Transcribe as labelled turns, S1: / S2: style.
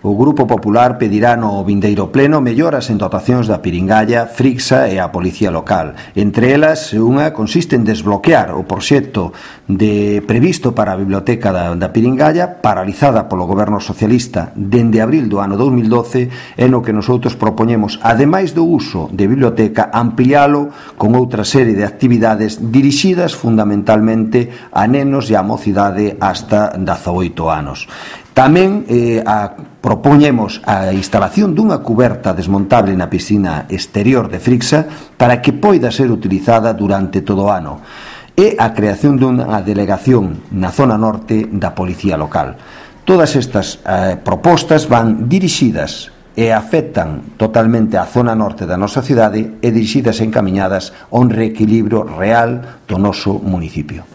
S1: O Grupo Popular pedirá no vindeiro pleno melloras en dotacións da Piringalla, Frixa e a Policía Local. Entre elas, unha consiste en desbloquear o proxecto previsto para a Biblioteca da Piringalla, paralizada polo Goberno Socialista dende abril do ano 2012, e no que nosotros propoñemos, ademais do uso de biblioteca, ampliálo con outra serie de actividades dirixidas fundamentalmente a nenos e a mocidade hasta 18 anos. Tamén propoñemos a instalación dunha cuberta desmontable na piscina exterior de Frixa para que poida ser utilizada durante todo o ano, e a creación dunha delegación na zona norte da Policía Local. Todas estas propostas van dirixidas e afectan totalmente a zona norte da nosa cidade e dirixidas e encamiñadas a un reequilibrio real do noso municipio.